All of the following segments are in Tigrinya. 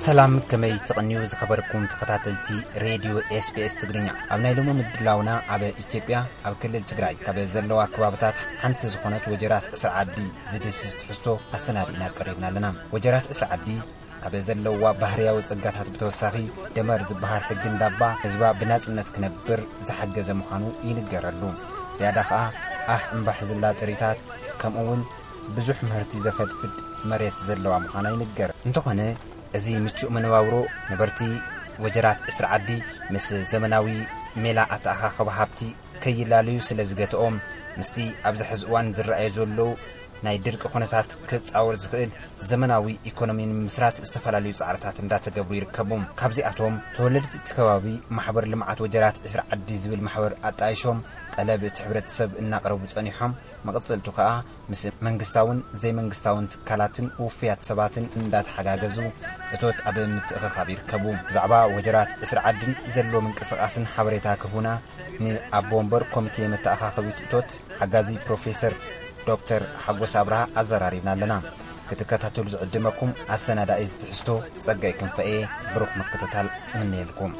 ሰላም፣ ከመይ ትቕንዩ ዝኸበርኩም ተኸታተልቲ ሬድዮ ኤስቢኤስ ትግርኛ? ኣብ ናይ ሎሚ ምድላውና ኣብ ኢትዮጵያ ኣብ ክልል ትግራይ ካብ ዘለዋ ከባብታት ሓንቲ ዝኾነት ወጀራት ዕስራ ዓዲ ዝድስስ ትሕዝቶ ኣሰናዲእና ቀሪብና ኣለና። ወጀራት ዕስራ ዓዲ ካብ ዘለዋ ባህርያዊ ጸጋታት ብተወሳኺ ደመር ዝበሃል ሕጊ እንዳባ ህዝባ ብናጽነት ክነብር ዝሓገዘ ምዃኑ ይንገረሉ። ዝያዳ ኸኣ ኣሕ እምባሕ ዝብላ ጥሪታት ከምኡ እውን ብዙሕ ምህርቲ ዘፈድፍድ መሬት ዘለዋ ምዃና ይንገር። እንተኾነ እዚ ምቹእ መነባብሮ ነበርቲ ወጀራት ዕስራ ዓዲ ምስ ዘመናዊ ሜላ ኣተኣኻኽባ ሃብቲ ከይላለዩ ስለ ዝገትኦም ምስቲ ኣብዚ ሕዚ እዋን ዝረኣዩ ዘለዉ ናይ ድርቂ ኩነታት ክጻወር ዝኽእል ዘመናዊ ኢኮኖሚ ንምምስራት ዝተፈላለዩ ጻዕርታት እንዳተገብሩ ይርከቡ። ካብዚኣቶም ተወለድቲ እቲ ከባቢ ማሕበር ልምዓት ወጀራት ዕስራ ዓዲ ዝብል ማሕበር ኣጣይሾም ጠለብ እቲ ሕብረተሰብ እናቕረቡ ጸኒሖም። መቐጸልቱ ከኣ ምስ መንግስታውን ዘይመንግስታውን ትካላትን ውፉያት ሰባትን እንዳተሓጋገዙ እቶት ኣብ ምትእኽኻብ ይርከቡ። ብዛዕባ ወጀራት ዕስራ ዓድን ዘሎ ምንቅስቓስን ሓበሬታ ክህቡና ንኣቦ ወንበር ኮሚቴ መተኣኻኸቢት እቶት ሓጋዚ ፕሮፌሰር ዶክተር ሓጎስ ኣብርሃ ኣዘራሪብና ኣለና። ክትከታተሉ ዝዕድመኩም ኣሰናዳኢ ዝትሕዝቶ ጸጋይ ክንፈኤ ብሩኽ ምክትታል እምነየልኩም።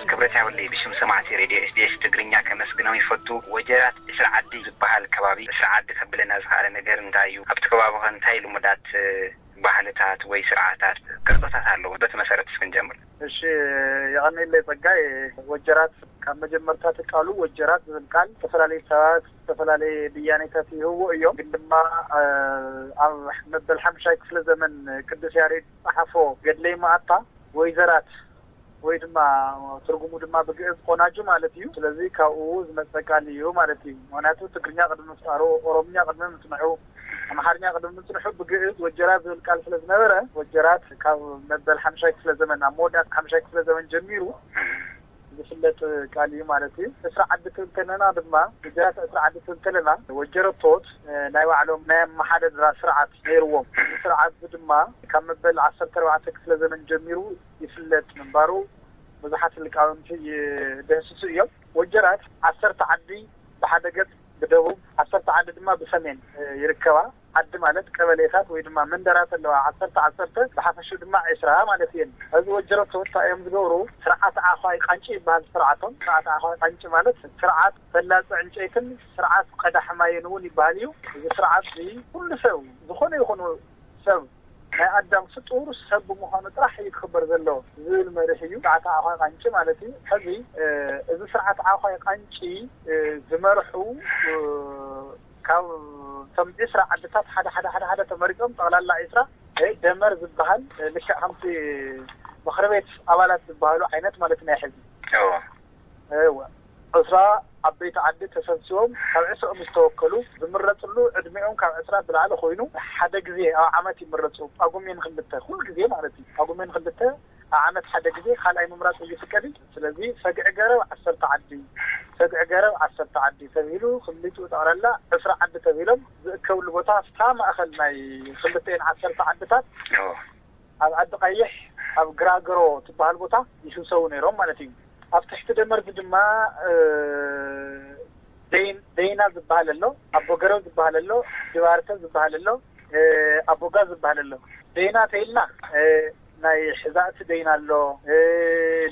ክብረት ያብለይ ብሽም ሰማዕቲ ሬድዮ ኤስቢኤስ ትግርኛ ከመስግኖም ይፈቱ። ወጀራት ዕስራ ዓዲ ዝበሃል ከባቢ ዕስራ ዓዲ ከብለና ዝኸኣለ ነገር እንታይ እዩ? ኣብቲ ከባቢ ኸ እንታይ ልሙዳት ባህልታት ወይ ስርዓታት ቅርፅታት ኣለዎ? በቲ መሰረት እስኪ ንጀምር። እሺ፣ የቐንየለይ ጸጋይ። ወጀራት ካብ መጀመርታ እቲ ቃሉ ወጀራት ዝብል ቃል ዝተፈላለዩ ሰባት ዝተፈላለየ ብያኔታት ይህብዎ እዮም። ግን ድማ ኣብ መበል ሓምሻይ ክፍለ ዘመን ቅዱስ ያሬድ ዝጸሓፎ ገድለ ይመኣታ ወይዘራት ወይ ድማ ትርጉሙ ድማ ብግእዝ ቆናጁ ማለት እዩ። ስለዚ ካብኡ ዝመጸ ቃል እዩ ማለት እዩ። ምክንያቱ ትግርኛ ቅድሚ ምፍጣሩ፣ ኦሮምኛ ቅድሚ ምጽንሑ፣ ኣምሓርኛ ቅድሚ ምጽንሑ ብግእዝ ወጀራት ዝብል ቃል ስለ ዝነበረ ወጀራት ካብ መበል ሓምሻይ ክፍለ ዘመን፣ ኣብ መወዳእታ ሓምሻይ ክፍለ ዘመን ጀሚሩ ዝፍለጥ ቃል እዩ ማለት እዩ። ዕስራ ዓዲ ክብል ከለና ድማ፣ ወጀራት ዕስራ ዓዲ ክብል ከለና ወጀረቶት ናይ ባዕሎም ናይ ኣመሓደድራ ስርዓት ነይርዎም። እዚ ስርዓት እዚ ድማ ካብ መበል ዓሰርተ ኣርባዕተ ክፍለ ዘመን ጀሚሩ ይፍለጥ ምንባሩ ብዙሓት ሊቃውንቲ ይደህስሱ እዮም። ወጀራት ዓሰርተ ዓዲ ብሓደ ገጽ ብደቡብ፣ ዓሰርተ ዓዲ ድማ ብሰሜን ይርከባ። ዓዲ ማለት ቀበሌታት ወይ ድማ መንደራት ኣለዋ፣ ዓሰርተ ዓሰርተ፣ ብሓፈሽኡ ድማ ዕስራ ማለት እየን። እዚ ወጀረቶት እንታይ እዮም ዝገብሩ? ስርዓት ዓዃይ ቃንጪ ይበሃል ስርዓቶም። ስርዓት ዓዃይ ቃንጪ ማለት ስርዓት ፈላጺ ዕንጨይትን ስርዓት ቀዳሕ ማይን እውን ይበሃል እዩ። እዚ ስርዓት እዚ ኩሉ ሰብ፣ ዝኾነ ይኹን ሰብ፣ ናይ ኣዳም ፍጡር ሰብ ብምዃኑ ጥራሕ እዩ ክኽበር ዘለዎ ዝብል መርህ እዩ። ስርዓት ዓዃይ ቃንጪ ማለት እዩ። ሕዚ፣ እ፣ እዚ ስርዓት ዓዃይ ቃንጪ፣ እ፣ ዝመርሑ፣ እ፣ ካብ እቶም ዕስራ ዓድታት ሓደ ሓደ ሓደ ሓደ ተመሪጾም ጠቕላላ ዕስራ፣ እ፣ ደመር ዝበሃል፣ እ፣ ልክዕ ከምቲ ምኽሪ ቤት ኣባላት ዝበሃሉ ዓይነት ማለት ናይ ሕዚ። እዎ። እወ። ዕስራ ዓበይቲ ዓዲ ተሰብሲቦም ካብ ዕስርኦም ዝተወከሉ ዝምረጽሉ ዕድሜኦም ካብ ዕስራ ብላዕሊ ኮይኑ ሓደ ግዜ ኣብ ዓመት ይምረጹ። ጳጉሜን ክልተ፣ ኩሉ ግዜ ማለት እዩ። ጳጉሜን ክልተ ኣብ ዓመት ሓደ ግዜ ካልኣይ ምምራጽ ይፍቀድ እዩ። ስለዚ ሰግዒ ገረብ ዓሰርተ ዓዲ፣ ሰግዒ ገረብ ዓሰርተ ዓዲ ተባሂሉ ክልቲኡ ጠቕላላ ዕስራ ዓዲ ተባሂሎም ዝእከብሉ ቦታ ኣብታ ማእከል ናይ ክልተኤን ዓሰርተ ዓድታት እዎ። ኣብ ዓዲ ቀይሕ ኣብ ግራግሮ ትበሃል ቦታ ይስብሰቡ ነይሮም ማለት እዩ። ኣብ ትሕቲ ደመርዚ ድማ፣ እ፣ ደይን-፣ ደይና ዝበሃል ኣሎ፣ ኣቦ ገረብ ዝበሃል ኣሎ፣ ድባርተ ዝበሃል ኣሎ፣ እ፣ ኣቦጋ ዝበሃል ኣሎ። ደይና ተይልና፣ እ፣ ናይ ሕዛእቲ ደይና ኣሎ፣ እ፣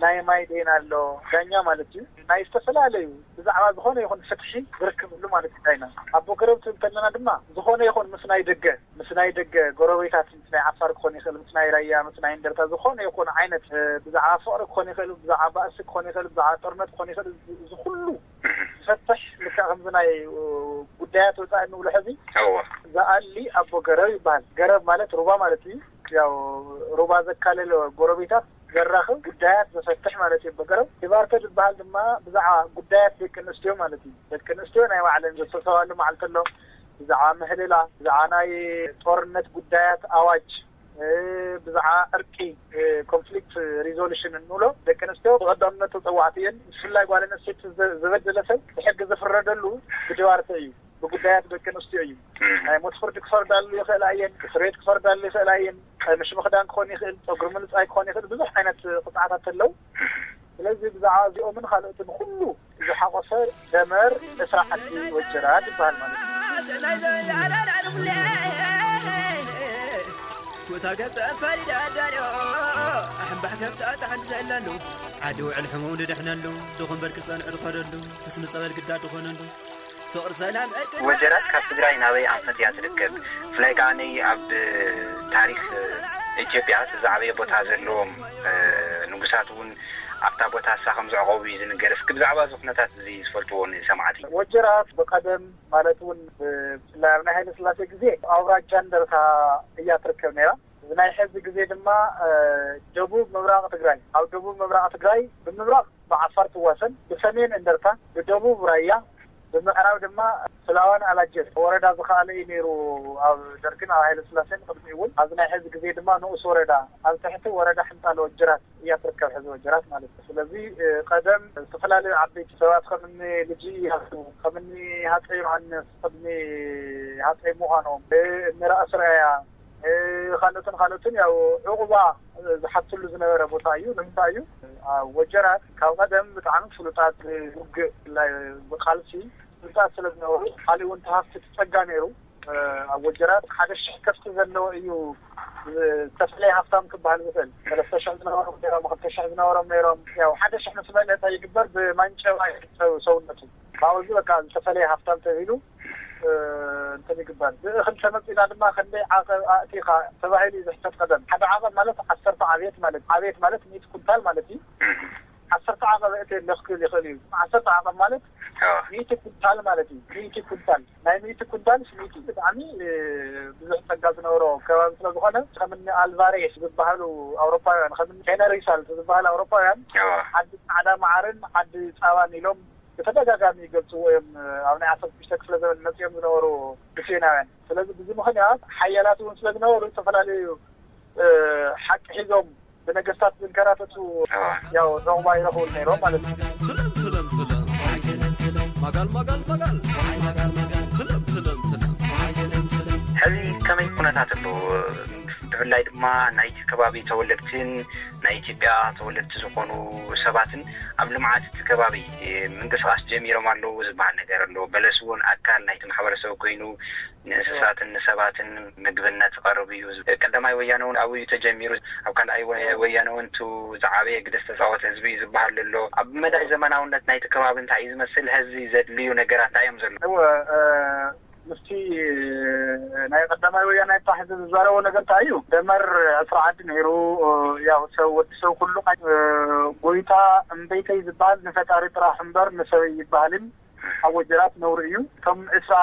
ናይ ማይ ደይና ኣሎ፣ ዳኛ ማለት እዩ። ናይ ዝተፈላለዩ ብዛዕባ ዝኾነ ይኹን ፍትሒ ዝርክብሉ ማለት እዩ ዳይና። ኣቦ ገረብ ትብል ከለና ድማ ዝኾነ ይኹን ምስ ናይ ደገ፣ ምስ ናይ ደገ ጎረቤታት፣ ምስ ናይ ዓፋር ክኾን ይኽእል፣ ምስ ናይ ራያ፣ ምስ ናይ እንደርታ፣ ዝኾነ ይኹን ዓይነት፣ እ፣ ብዛዕባ ፍቕሪ ክኾን ይኽእል፣ ብዛዕባ ባእሲ ክኾን ይኽእል፣ ብዛዕባ ጦርነት ክኾን ይኽእል፣ እዚ፣ እዚ ኩሉ ዝፈትሕ ልክዕ ከምዚ ናይ፣ እ፣ ጉዳያት ወፃኢ እንብሎ ሕዚ እዎ። ዝኣሊ ኣቦ ገረብ ይበሃል። ገረብ ማለት ሩባ ማለት እዩ። ያው ሩባ ዘካለለ ጎረቤታት ዘራኽብ ጉዳያት ዘፈትሕ ማለት እዩ ኣቦ ገረብ። ድባርተ ዝበሃል ድማ ብዛዕባ ጉዳያት ደቂ ኣንስትዮ ማለት እዩ። ደቂ ኣንስትዮ ናይ ባዕለን ዘሰብሰባሉ መዓልቲ ኣሎ። ብዛዕባ ምህልላ፣ ብዛዕባ ናይ ጦርነት ጉዳያት ኣዋጅ፣ እ፣ ብዛዕባ ዕርቂ፣ እ፣ ኮንፍሊክት ሪዞሉሽን እንብሎ ደቂ ኣንስትዮ ብቐዳምነት ተፀዋዕቲ እየን። ብፍላይ ጓል ኣንስተይቲ ዘ-፣ ዝበደለ ሰብ ብሕጊ ዝፍረደሉ ብድባርተ እዩ። ብጉዳያት ደቂ ኣንስትዮ እዩ። ናይ ሞት ፍርዲ ክፈርዳሉ ይኽእላ እየን፣ እስር ቤት ክፈርዳሉ ይኽእላ እየን። ቀምሽ ምኽዳን ክኾን ይኽእል፣ ፀጉሪ ምልፃይ ክኾን ይኽእል፣ ብዙሕ ዓይነት ቅፅዓታት ኣለዉ። ስለዚ ብዛዕባ እዚኦምን ካልኦትን ኩሉ ዝሓቆፈ ደመር ዕስራ ዓዲ ወጀራት ይበሃል ማለት እዩ። እታ ገብታ ፈሪዳ ኣዳልዮ ኣሕምባሕ ከፍታ ታሕንቲ ዘለሉ ዓዲ ውዕል ሕሙም ድድሕነሉ ድኹም በርቂ ጸንዑ ድኸደሉ ክስሚ ጸበል ግዳ ድኾነሉ ፍቕሪ ሰላም ዕርቂ ወጀራት ካብ ትግራይ ናበይ ኣንፈት እያ ትርከብ? ብፍላይ ከዓ ነይ ኣብ ታሪክ ኢትዮጵያ እቲ ዝዓበየ ቦታ ዘለዎም ንጉሳት እውን ኣብታ ቦታ እሳ ከም ዘዕቆቡ እዩ ዝንገር። እስኪ ብዛዕባ እዚ ኩነታት እዚ ዝፈልጥዎ ንሰማዕቲ። ወጀራት ብቀደም ማለት እውን ብፍላይ ኣብ ናይ ሃይለ ስላሴ ግዜ ኣውራጃ እንደርታ እያ ትርከብ ነይራ። እዚ ናይ ሕዚ ግዜ ድማ ደቡብ ምብራቕ ትግራይ፣ ኣብ ደቡብ ምብራቕ ትግራይ ብምብራቕ ብዓፋር ትዋሰን፣ ብሰሜን እንደርታ፣ ብደቡብ ራያ፣ ብምዕራብ ድማ ስላዋን ኣላጀን ወረዳ ዝኸኣለ እዩ ነይሩ። ኣብ ደርግን ኣብ ሃይለ ስላሴን ቅድሚ እውን ኣብዚ ናይ ሕዚ ግዜ ድማ ንኡስ ወረዳ ኣብ ትሕቲ ወረዳ ሕንጣሎ ወጀራት እያ ትርከብ ሕዚ ወጀራት ማለት እዩ። ስለዚ ቀደም ዝተፈላለዩ ዓበይቲ ሰባት ከምኒ ልጅ እያሱ ከምኒ ሃፀይ ዮሃንስ ቅድሚ ሃፀይ ምዃኖም ንራእሲ ራያ ካልኦትን ካልኦትን ያው ዕቑባ ዝሓትሉ ዝነበረ ቦታ እዩ። ንምንታይ እዩ ወጀራት ካብ ቀደም ብጣዕሚ ፍሉጣት ውግእ ብቃልሲ ፍሉጣት ስለ ዝነበሩ፣ ካሊእ እውን ተሃፍቲ ጸጋ ነይሩ። ኣብ ወጀራት ሓደ ሽሕ ከፍቲ ዘለዎ እዩ ዝተፈለየ ሃፍታም ክበሃል ዝኽእል። ሰለስተ ሽሕ ዝነበሮም ነይሮም፣ ክልተ ሽሕ ዝነበሮም ነይሮም። ያው ሓደ ሽሕ ምስ መለጠ ይግበር ብማንጨባ ሰውነቱ ካብዚ በቃ ዝተፈለየ ሃፍታም ተባሂሉ እንትን ይግበር። ብእኽል ተመፂና ድማ ክንደይ ዓቐብ ኣእቲኻ ተባሂሉ እዩ ዝሕተት ቀደም። ሓደ ዓቐብ ማለት ዓሰርተ ዓብየት ማለት ዓብየት ማለት ሚእቲ ኩንታል ማለት እዩ። ዓሰርተ ዓቐብ እእቲ ለኽክል ይኽእል እዩ። ዓሰርተ ዓቐብ ማለት ሚእቲ ኩንታል ማለት እዩ። ሚእቲ ኩንታል ናይ ሚእቲ ኩንታል ሚእቲ ብጣዕሚ ብዙሕ ፀጋ ዝነበሮ ከባቢ ስለዝኾነ ከምኒ ኣልቫሬስ ዝበሃሉ ኣውሮፓውያን ከምኒ ሄነሪ ሳልት ዝበሃሉ ኣውሮፓውያን ዓዲ ፃዕዳ መዓርን ዓዲ ፃባን ኢሎም ብተደጋጋሚ ይገልፅዎ እዮም። ኣብ ናይ ዓሰርተ ሽዱሽተ ክፍለ ዘመን መፅኦም ዝነበሩ ስፔናውያን። ስለዚ ብዚ ምኽንያት ሓያላት እውን ስለዝነበሩ ዝተፈላለዩ ሓቂ ሒዞም ብነገስታት ዝንከራተቱ ያው ዑቕባ ይረኽቡ ነይሮም ማለት እዩ። ትለም ትለም ትለም ማጋል ማጋል ማጋል ትለም ትለም ትለም። ሕዚ ከመይ ኩነታት ኣሎ? ብፍላይ ድማ ናይቲ ከባቢ ተወለድትን ናይ ኢትዮጵያ ተወለድቲ ዝኾኑ ሰባትን ኣብ ልምዓት እቲ ከባቢ ምንቅስቃስ ጀሚሮም ኣለዉ ዝበሃል ነገር ኣሎ። በለስ እውን ኣካል ናይቲ ማሕበረሰብ ኮይኑ ንእንስሳትን ንሰባትን ምግብነት ይቐርብ እዩ። ቀዳማይ ወያነ እውን ኣብኡ እዩ ተጀሚሩ። ኣብ ካልኣይ ወያነ እውን እቲ ዝዓበየ ግደ ዝተፃወተ ህዝቢ እዩ ዝበሃል ኣሎ። ኣብ መዳይ ዘመናውነት ናይቲ ከባቢ እንታይ እዩ ዝመስል? ሕዚ ዘድልዩ ነገራት እንታይ እዮም ዘለዉ? ምስቲ ናይ ቀዳማይ ወያነ ይባሕ ዝዛረቦ ነገር እንታይ እዩ? ደመር ዕስራ ዓዲ ነይሩ። ያው ሰብ ወዲ ሰብ ኩሉ ጎይታ እምበይተይ ዝበሃል ንፈጣሪ ጥራሕ እምበር ንሰበይ ይበሃልን ኣብ ወጀራት ነውሪ እዩ። እቶም ዕስራ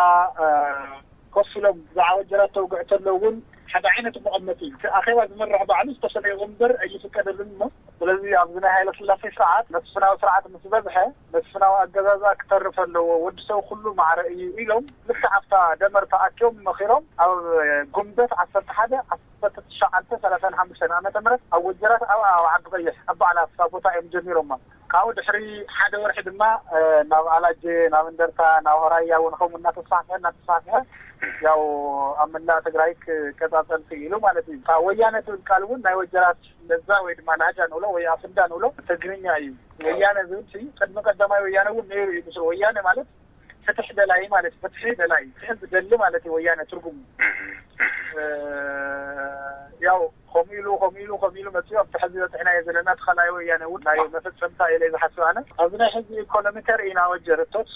ኮፍ ኢሎም ብዛዕባ ወጀራት ተውግዕ ተሎ እውን ሓደ ዓይነት መቐመጢ እዩ። እቲ ኣኼባ ዝመርሕ ባዕሉ ዝተፈለየ ወንበር ኣይፍቀደሉን እሞ ስለዚ ኣብዚ ናይ ሃይለ ስላሴ ስርዓት መስፍናዊ ስርዓት ምስ በዝሐ መስፍናዊ ኣገዛዝኣ ክተርፍ ኣለዎ፣ ወዲ ሰብ ኩሉ ማዕረ እዩ ኢሎም ልክዕ ኣብታ ደመር ተኣኪቦም መኺሮም ኣብ ጉንበት ዓሰርተ ሓደ ዓሰርተ ትሽዓተ ሰላሳን ሓሙሽተን ዓመተ ምህረት ኣብ ወጀራት ኣብ ኣብ ዓዲ ቀይሕ ኣብ ባዕላ ኣብታ ቦታ እዮም ጀሚሮማ። ካብኡ ድሕሪ ሓደ ወርሒ ድማ ናብ ኣላጀ ናብ እንደርታ ናብ ራያ እውን ከምኡ እናተስፋሕፍሐ እናተስፋሕፍሐ ያው ኣብ መላእ ትግራይ ክቀፃፀል ክኢሉ ማለት እዩ። እታ ወያነ ትብል ቃል እውን ናይ ወጀራት ለዛ ወይ ድማ ላህጃ ንብሎ ወይ ኣፍንዳ ንብሎ ትግርኛ እዩ። ወያነ ዝብል ሲ ቅድሚ ቀዳማይ ወያነ እውን ነይሩ እዩ። ምስሉ ወያነ ማለት ፍትሕ ደላይ ማለት ፍትሒ ደላይ ፍትሒ ዝደሊ ማለት እዩ ወያነ ትርጉሙ። ያው ከምኡ ኢሉ ከምኡ ኢሉ ከምኡ ኢሉ መፅኡ ኣብቲ ሕዚ በፅሕናዮ ዘለና እቲ ካልኣይ ወያነ እውን ናይ መፈፀምታ ኢለ ዝሓስብ ኣነ ኣብዚ ናይ ሕዚ ኢኮኖሚ ተርኢና ወጀርቶት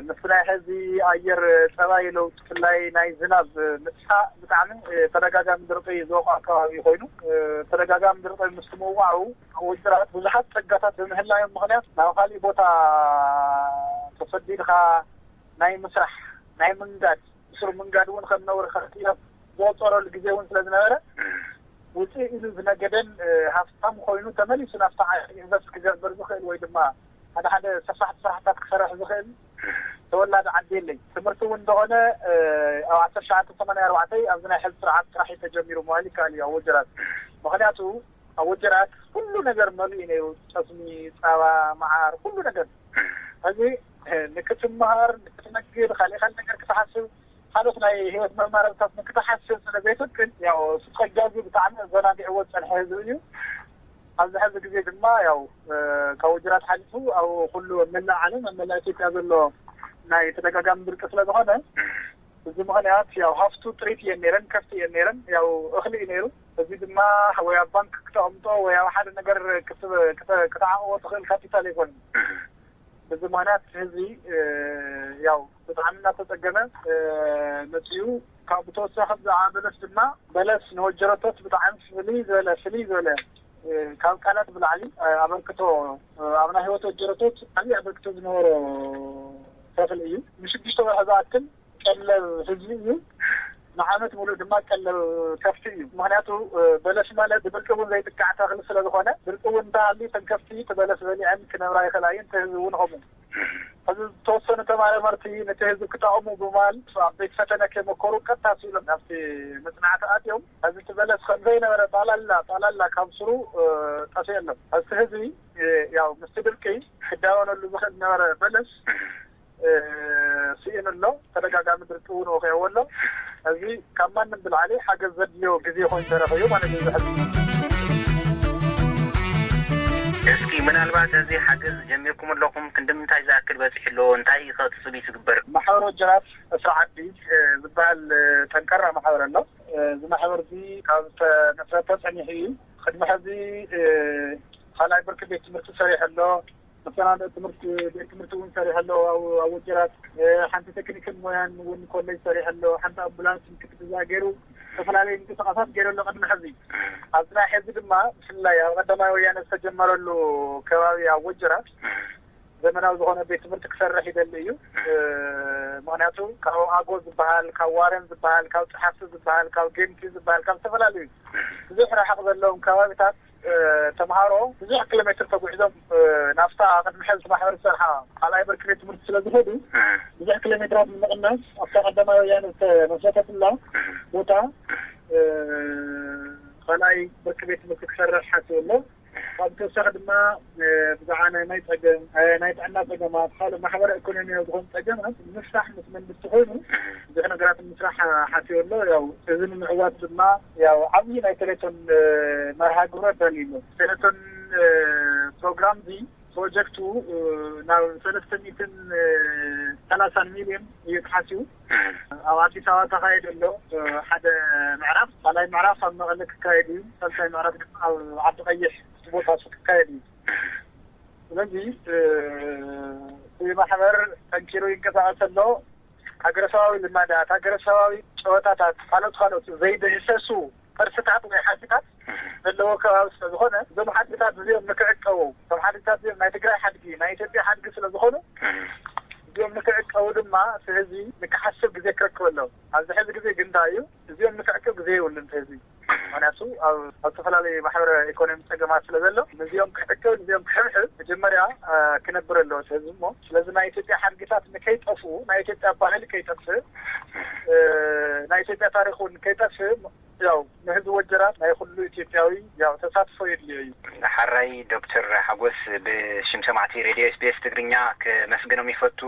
ምስ ናይ ሕዚ ኣየር ፀባይ ለውጢ ብፍላይ ናይ ዝናብ ምጥፋእ ብጣዕሚ ተደጋጋሚ ድርቂ ዝወቕዖ ኣከባቢ ኮይኑ ተደጋጋሚ ድርቂ ምስ ምውቃዑ ውድራት ብዙሓት ፀጋታት ብምህላዮም ምኽንያት ናብ ካሊእ ቦታ ተሰዲድካ ናይ ምስራሕ ናይ ምንጋድ ብስሩ ምንጋድ እውን ከም ነውሪ ከርትዮ ዝቆፀረሉ ግዜ እውን ስለ ዝነበረ ውፅእ ኢሉ ዝነገደን ሃፍታም ኮይኑ ተመሊሱ ናብቲ ዓዲ ኢንቨስት ክገብር ዝኽእል ወይ ድማ ሓደ ሓደ ሰፋሕቲ ስራሕታት ክሰርሕ ዝኽእል ተወላዲ ዓዲ የለይ። ትምህርቲ እውን እንደኾነ ኣብ ዓሰርተ ትሽዓተ ሰማንያ ኣርባዕተ ኣብዚ ናይ ሕዚ ስርዓት ጥራሕ እዩ ተጀሚሩ ምባል ይከኣል እዩ ኣብ ወጀራት። ምክንያቱ ኣብ ወጀራት ኩሉ ነገር መሊኡ ነይሩ፣ ጠስሚ፣ ፃባ፣ መዓር፣ ኩሉ ነገር። ሕዚ ንክትመሃር፣ ንክትነግድ፣ ካሊእ ካሊእ ነገር ክትሓስብ፣ ካልኦት ናይ ህይወት መማረብታት ንክትሓስብ ስለ ዘይፍቅድ ያው ስቆጃዚ ብጣዕሚ ኣዘናጊዕዎ ዝፀንሐ ህዝቢ እዩ። ኣብዚ ሕዚ ግዜ ድማ ያው ካብ ወጀራት ሓሊፉ ኣብ ኩሉ ኣብ መላእ ዓለም ኣብ መላእ ኢትዮጵያ ዘሎ ናይ ተደጋጋሚ ድርቂ ስለ ዝኾነ እዚ ምኽንያት ያው ሃፍቱ ጥሪት እየን ነይረን፣ ከፍቲ እየን ነይረን፣ ያው እኽሊ እዩ ነይሩ። እዚ ድማ ወይ ኣብ ባንክ ክተቐምጦ ወይ ኣብ ሓደ ነገር ክትዓቕቦ ትኽእል ካፒታል ኣይኮነን። በዚ ምኽንያት ህዝቢ ያው ብጣዕሚ እናተፀገመ መፅኡ። ካብ ብተወሳኺ ብዛዕባ በለስ ድማ በለስ ንወጀረቶት ብጣዕሚ ፍልይ ዝበለ ፍልይ ዝበለ ካብ ቃላት ብላዕሊ ኣበርክቶ ኣብ ናይ ህይወት ወጀረቶት ዓብዪ ኣበርክቶ ዝነበሮ ተኽሊ እዩ። ንሽዱሽተ ወርሒ ዝኣክል ቀለብ ህዝቢ እዩ። ንዓመት ሙሉእ ድማ ቀለብ ከፍቲ እዩ። ምኽንያቱ በለስ ማለት ብድርቂ እውን ዘይጥቃዕ ተኽሊ ስለዝኾነ ድርቂ እውን እንተሃልዩ እተን ከፍቲ እቲ በለስ በሊዐን ክነብራ ይኽእላ እየን። እቲ ህዝቢ እውን ከምኡ። ሕዚ ዝተወሰኑ ተመራመርቲ ነቲ ህዝቢ ክጠቕሙ ብምባል ኣብ ቤት ፈተነ ከይመከሩ ቀጥታ ስኢሎም ናብቲ መፅናዕቲ ኣትዮም። ሕዚ እቲ በለስ ከም ዘይነበረ ጣላላ ጣላላ ካብ ስሩ ጠፊኡ ኣሎ። ሕዚ ህዝቢ ያው ምስቲ ድርቂ ክዳወነሉ ዝኽእል ዝነበረ በለስ ስኢኑ ኣሎ። ተደጋጋሚ ድርቂ እውን ወቂዕዎ ኣሎ። እዚ ካብ ማንም ብላዕሊ ሓገዝ ዘድልዮ ግዜ ኮይኑ ተረኺቡ ማለት እዩ። ዝሕል እስኪ ምናልባት እዚ ሓገዝ ጀሚርኩም ኣለኹም ክንዲ ምንታይ ዝኣክል በፂሑ ኣሎ? እንታይ ከ ትፅቢት ዝግበር? ማሕበር ወጀራት እስራ ዓዲ ዝበሃል ጠንካራ ማሕበር ኣሎ። እዚ ማሕበር እዚ ካብ ተመስረተ ፀኒሑ እዩ። ቅድሚ ሕዚ ካልኣይ ብርኪ ቤት ትምህርቲ ሰሪሑ ኣሎ። መሰናድኦ ትምህርቲ ቤት ትምህርቲ እውን ሰሪሑ ኣሎ። ኣብ ወጀራት ሓንቲ ቴክኒክን ሞያን እውን ኮሌጅ ሰሪሑ ኣሎ። ሓንቲ ኣምቡላንስ ምክትትል ገይሩ ዝተፈላለዩ ምንቅስቃሳት ገይሩ ኣሎ። ቅድሚ ሕዚ ኣብዚ ናይ ሕዚ ድማ ብፍላይ ኣብ ቀዳማይ ወያነ ዝተጀመረሉ ከባቢ ኣብ ወጀራት ዘመናዊ ዝኾነ ቤት ትምህርቲ ክሰርሕ ይደሊ እዩ። ምክንያቱ ካብ ኣጎ ዝበሃል፣ ካብ ዋረን ዝበሃል፣ ካብ ፀሓፍቲ ዝበሃል፣ ካብ ጌምቲ ዝበሃል፣ ካብ ዝተፈላለዩ ብዙሕ ርሕቕ ዘለዎም ከባቢታት ተምሃሮ ብዙሕ ኪሎ ሜትር ተጉዒዞም ናብታ ቅድሚ ሕዚ ማሕበር ዝሰርሓ ካልኣይ ብርኪ ቤት ትምህርቲ ስለ ዝኸዱ ብዙሕ ኪሎ ሜትራት ንምቕናስ ኣብታ ቀዳማይ ወያነ ዝተመስረተትላ ቦታ ካልኣይ ብርኪ ቤት ትምህርቲ ክሰርሕ ሓሲቡ ኣሎ። ካብ ተወሳኺ ድማ ብዛዕባ ናይ ማይ ፀገም፣ ናይ ጥዕና ፀገማት፣ ካልእ ማሕበረ ኢኮኖሚያዊ ዝኾኑ ፀገማት ንምፍታሕ ምስ መንግስቲ ኮይኑ ብዙሕ ነገራት ንምስራሕ ሓሲቡ ኣሎ። ያው እዚ ንምዕዋት ድማ ያው ዓብዪ ናይ ቴሌቶን መርሃ ግብሪ ኣዳልዩ ኣሎ። ቴሌቶን ፕሮግራም እዚ ፕሮጀክቱ ናብ ሰለስተ ሚእትን ሰላሳን ሚልዮን እዩ ተሓሲቡ። ኣብ ኣዲስ ኣበባ ተኻየደ ኣሎ ሓደ ምዕራፍ፣ ካልኣይ ምዕራፍ ኣብ መቐለ ክካየድ እዩ፣ ሳልሳይ ምዕራፍ ድማ ኣብ ዓዲ ቀይሕ እቲ ቦታ እሱ ክካየድ እዩ። ስለዚ እቲ ማሕበር ጠንኪሩ ይንቀሳቐስ ኣሎ። ሃገረሰባዊ ልማዳት፣ ሃገረሰባዊ ጨወታታት፣ ካልኦት ካልኦት ዘይድህሰሱ ቅርስታት ወይ ሓድግታት ዘለዎ ከባቢ ስለዝኾነ እዞም ሓድግታት እዚኦም ንክዕቀቡ፣ እዞም ሓድግታት እዚኦም ናይ ትግራይ ሓድጊ ናይ ኢትዮጵያ ሓድጊ ስለዝኾኑ እዚኦም ንክዕቀቡ ድማ እቲ ህዝቢ ንክሓስብ ግዜ ክረክብ ኣለዎ። ኣብዚ ሕዚ ግዜ ግን እንታይ እዩ እዚኦም ንክዕቅብ ግዜ የብሉን እቲ ህዝቢ። ምክንያቱ ኣብ ኣብ ዝተፈላለዩ ማሕበረ ኢኮኖሚ ፀገማት ስለ ዘሎ ንዚኦም ክዕቅብ ንዚኦም ክሕብሕብ መጀመርያ ክነብር ኣለዎ እቲ ህዝቢ እሞ ስለዚ ናይ ኢትዮጵያ ሓድግታት ንከይጠፍኡ ናይ ኢትዮጵያ ባህሊ ከይጠፍእ ናይ ኢትዮጵያ ታሪክ እውን ከይጠፍእ ያው ንህዝቢ ወጀራት ናይ ኩሉ ኢትዮጵያዊ ያው ተሳትፎ የድልዮ እዩ። ሓራይ ዶክተር ሓጎስ ብሽም ሰማዕቲ ሬድዮ ኤስቢኤስ ትግርኛ ከመስግኖም ይፈቱ።